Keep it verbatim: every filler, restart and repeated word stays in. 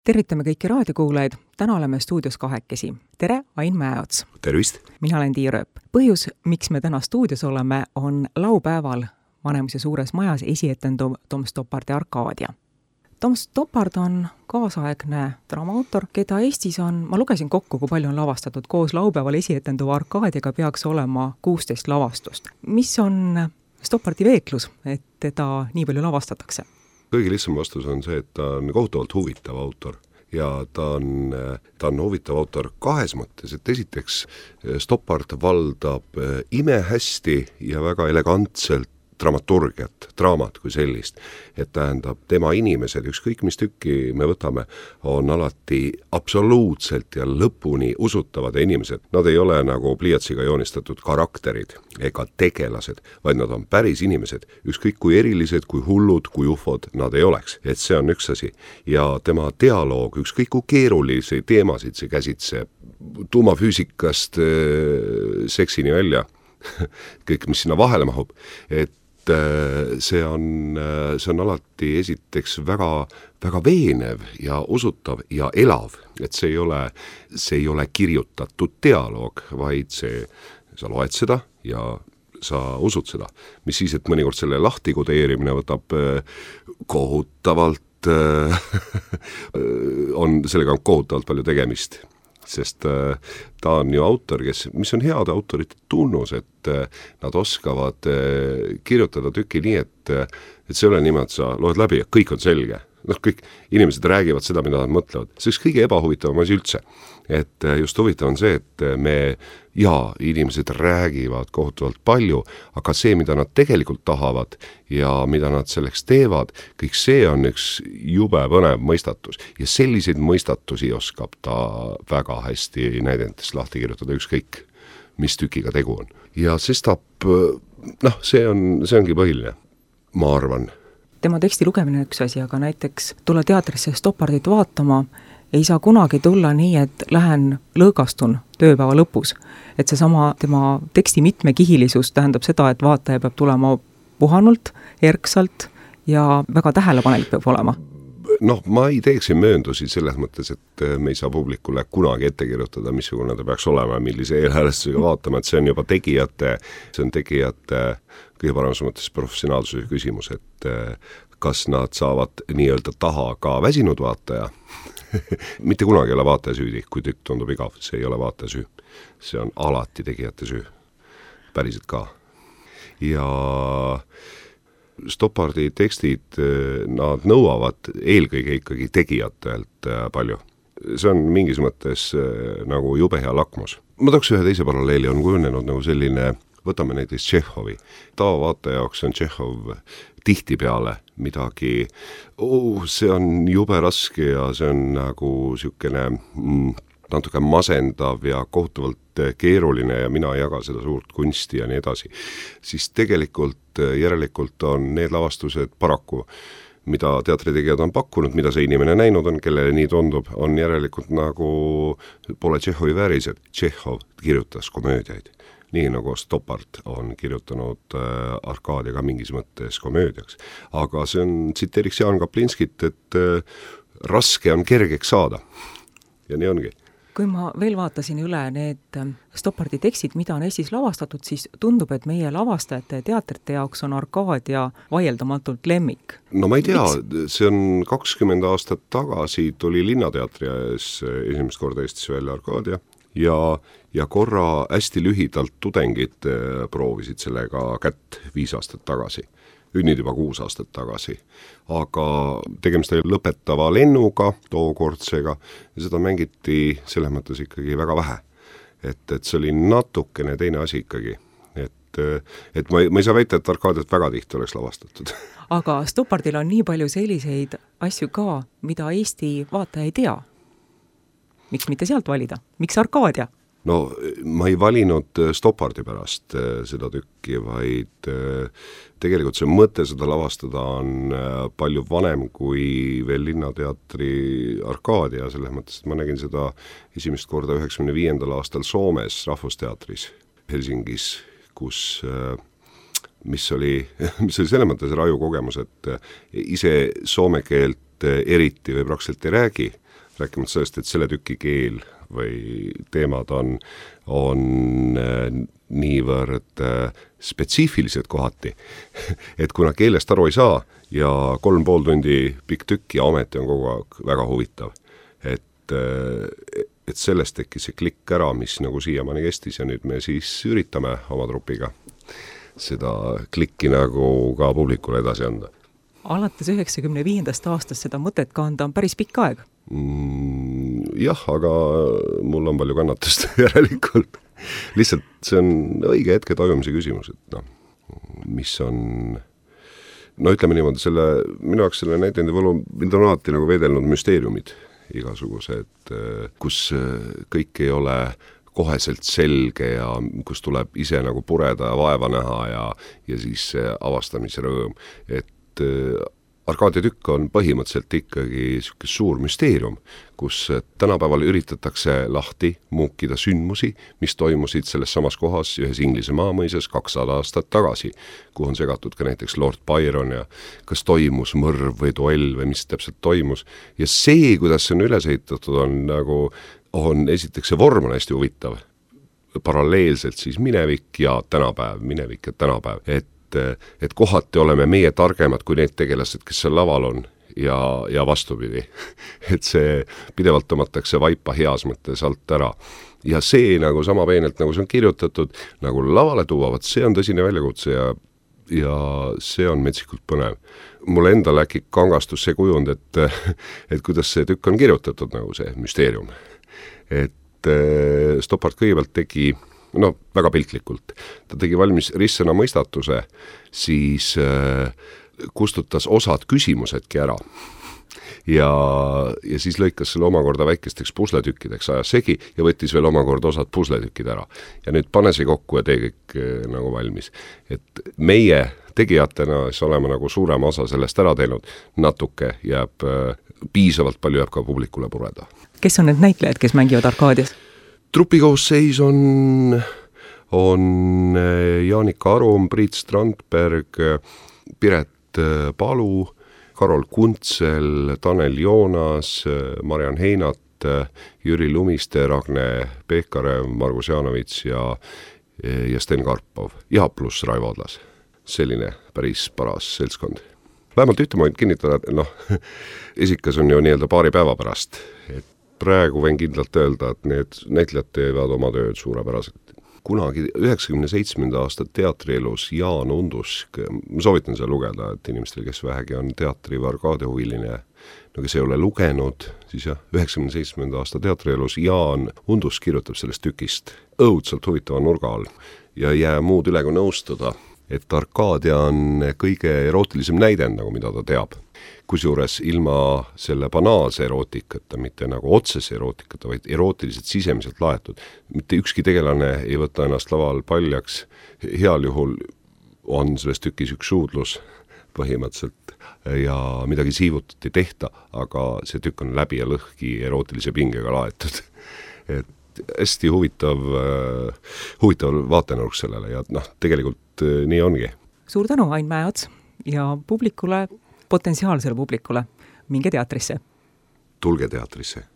Tervitame kõiki raadiokuulajaid. Täna oleme stuudios kahekesi. Tere, Ain Mäeots. Tervist. Mina olen Tiia Rööp. Põhjus, miks me täna stuudios oleme, on laupäeval Vanemuise suures majas esietenduv Tom Stoppardi Arkaadia. Tom Stoppard on kaasaegne draamaautor, keda Eestis on, ma lugesin kokku, kui palju on lavastatud. Koos laupäeval esietenduva Arkaadiaga peaks olema kuusteist lavastust. Mis on Stoppardi veeklus, et teda nii palju lavastatakse? Kõige lihtsam vastus on see, et ta on kohutavalt huvitav autor ja ta on, ta on huvitav autor kahes mõttes, et esiteks Stoppard valdab imehästi ja väga elegantselt dramaturgiat, draamat kui sellist, et tähendab tema inimesed, ükskõik mis tükki me võtame, on alati absoluutselt ja lõpuni usutavad inimesed. Nad ei ole nagu pliiatsiga joonistatud karakterid ega tegelased, vaid nad on päris inimesed, ükskõik kui erilised, kui hullud, kui ufod nad ei oleks. Et see on üks asi. Ja tema dialoog, ükskõik kui keerulisi teemasid see käsitseb, tuumafüüsikast seksini välja, kõik, mis sinna vahele mahub, et see on, see on alati esiteks väga, väga veenev ja usutav ja elav, et see ei ole, see ei ole kirjutatud dialoog, vaid see, sa loed seda ja sa usud seda. Mis siis, et mõnikord selle lahtikodeerimine võtab kohutavalt, on, sellega on kohutavalt palju tegemist. Sest ta on ju autor, kes, mis on heade autorite tunnus, et nad oskavad kirjutada tüki nii, et, et see ole niimoodi, sa loed läbi ja kõik on selge. No, kõik inimesed räägivad seda, mida nad mõtlevad. See on kõige ebahuvitavam asi üldse. Et just huvitav on see, et me, jaa, inimesed räägivad kohutavalt palju, aga see, mida nad tegelikult tahavad ja mida nad selleks teevad, kõik see on üks jube põnev mõistatus. Ja selliseid mõistatusi oskab ta väga hästi näidendest lahti kirjutada ükskõik, mis tükiga tegu on. Ja sestap, noh, see on, see ongi põhiline, ma arvan. Tema teksti lugemine on üks asi, aga näiteks tulla teatrisse Stoppardit vaatama ei saa kunagi tulla nii, et lähen lõõgastun tööpäeva lõpus. Et see sama tema teksti mitmekihilisus tähendab seda, et vaataja peab tulema puhanult, erksalt ja väga tähelepanelik peab olema. Noh, ma ei teeks mööndusi selles mõttes, et me ei saa publikule kunagi ette kirjutada, missugune ta peaks olema, millise eelhäälestusega vaatama, et see on juba tegijate, see on tegijate kõige paremas mõttes professionaalsuse küsimus, et kas nad saavad nii-öelda taha ka väsinud vaataja. Mitte kunagi ei ole vaataja süüdi, kui tükk tundub igav, see ei ole vaataja süü. See on alati tegijate süü. Päriselt ka. Ja Stoppardi tekstid, nad nõuavad eelkõige ikkagi tegijatelt palju. See on mingis mõttes nagu jube hea lakmus. Ma tooks ühe teise paralleeli, on kujunenud nagu selline, võtame näiteks Tšehhovi. Taavaataja jaoks on Tšehhov tihtipeale midagi, oh, see on jube raske ja see on nagu sükene mm, natuke masendav ja kohutavalt keeruline ja mina ei jaga seda suurt kunsti ja nii edasi. Siis tegelikult järelikult on need lavastused paraku, mida teatritegijad on pakkunud, mida see inimene näinud on, kellele nii tundub, on järelikult nagu pole Tšehhovi väärised. Tšehhov kirjutas komöödiaid. Nii nagu Stoppard on kirjutanud äh, Arkaadiaga mingis mõttes komöödiaks. Aga see on, tsiteeriks Jaan Kaplinskit, et äh, raske on kergeks saada. Ja nii ongi. Kui ma veel vaatasin üle need Stoppardi tekstid, mida on Eestis lavastatud, siis tundub, et meie lavastajate ja teatrite jaoks on Arkaadia vaieldamatult lemmik. No ma ei tea, see on kakskümmend aastat tagasi tuli Linnateatri ees esimest korda Eestis välja Arkaadia. Ja, ja korra hästi lühidalt tudengid proovisid sellega kätt viis aastat tagasi. Nüüd juba kuus aastat tagasi. Aga tegemist oli lõpetava lennuga, tookordsega, ja seda mängiti selles mõttes ikkagi väga vähe. Et, et see oli natukene teine asi ikkagi. Et, et ma, ei, ma ei saa väita, et Arkaadiat väga tihti oleks lavastatud. Aga Stoppardil on nii palju selliseid asju ka, mida Eesti vaataja ei tea. Miks mitte sealt valida? Miks Arkaadia? No, ma ei valinud Stoppardi pärast seda tükki, vaid tegelikult see mõte seda lavastada on palju vanem kui veel Linnateatri Arkaadia, selles mõttes, et ma nägin seda esimest korda üheksakümne viiendal aastal Soomes Rahvusteatris Helsingis, kus mis oli, mis oli selles mõttes raju kogemus, et ise soome keelt eriti või praktiliselt ei räägi, rääkimata sellest, et selle tüki keel või teemad on, on niivõrd spetsiifilised kohati, et kuna keelest aru ei saa ja kolm pool tundi pikk tükk ja ometi on kogu aeg väga huvitav, et, et sellest tekkis see klikk ära, mis nagu siiamaani kestis ja nüüd me siis üritame oma trupiga seda klikki nagu ka publikule edasi anda. Alates üheksakümne viiendast aastast seda mõtet kanda on päris pikk aeg. Mm, jah, aga mul on palju kannatust järelikult. Lihtsalt see on õige hetke tajumise küsimus, et noh, mis on, no ütleme niimoodi, selle, minu jaoks selle näitendi võlu, mind on alati nagu veedelnud müsteeriumid igasugused, kus kõik ei ole koheselt selge ja kus tuleb ise nagu pureda ja vaeva näha ja, ja siis avastamise rõõm, et Arkaadia tükk on põhimõtteliselt ikkagi selline suur müsteerium, kus tänapäeval üritatakse lahti muukida sündmusi, mis toimusid selles samas kohas ühes Inglise maamõises kakssada aastat tagasi, kuhu on segatud ka näiteks Lord Byron ja kas toimus mõrv või duell või mis täpselt toimus. Ja see, kuidas see on üles ehitatud, on nagu, on esiteks see vorm on hästi huvitav, paralleelselt siis minevik ja tänapäev, minevik ja tänapäev, et et kohati oleme meie targemad kui need tegelased, kes seal laval on ja, ja vastupidi. Et see pidevalt tõmmatakse vaipa heas mõttes alt ära. Ja see nagu sama peenelt, nagu see on kirjutatud, nagu lavale tuuavad, see on tõsine väljakutse ja, ja see on metsikult põnev. Mulle endal äkki kangastus see kujund, et, et kuidas see tükk on kirjutatud, nagu see müsteerium. Et Stoppard kõigepealt tegi no väga piltlikult. Ta tegi valmis ristsõna mõistatuse, siis äh, kustutas osad küsimusedki ära. Ja, ja siis lõikas selle omakorda väikesteks pusletükkideks, ajas segi ja võttis veel omakorda osad pusletükid ära. Ja nüüd pane see kokku ja tee kõik äh, nagu valmis. Et meie tegijatena siis oleme nagu suurema osa sellest ära teinud, natuke jääb, äh, piisavalt palju jääb ka publikule pureda. Kes on need näitlejad, kes mängivad Arkaadias? Trupikoosseis on, on Jaanika Arum, Priit Strandberg, Piret Palu, Karol Kuntsel, Tanel Joonas, Marian Heinat, Jüri Lumiste, Ragne Peekarev, Margus Jaanovits ja, ja Sten Karpov ja pluss Raivo Adlas. Selline päris paras seltskond. Vähemalt ühte ma võin kinnitada, et noh, esikas on ju nii-öelda paari päeva pärast, et praegu võin kindlalt öelda, et need näitlejad teevad oma tööd suurepäraselt. Kunagi üheksakümne seitsmenda aasta teatrielus Jaan Undusk, ma soovitan seda lugeda, et inimestel, kes vähegi on teatri või Arkaadia huviline, no kes ei ole lugenud, siis jah, üheksakümne seitsmenda aasta teatrielus Jaan Undusk kirjutab sellest tükist õudselt huvitava nurga all ja ei jää muud üle kui nõustuda, et Arkaadia on kõige erootilisem näidend, nagu mida ta teab. Kusjuures ilma selle banaalse erootikata, mitte nagu otsese erootikata, vaid erootiliselt sisemiselt laetud. Mitte ükski tegelane ei võta ennast laval paljaks. Heal juhul on selles tükis üks suudlus põhimõtteliselt ja midagi siivutut ei tehta, aga see tükk on läbi ja lõhki erootilise pingega laetud. Et hästi huvitav, huvitav vaatenurk sellele ja noh, tegelikult nii ongi. Suur tänu, Ain Mäeots ja publikule, potentsiaalsele publikule, minge teatrisse. Tulge teatrisse.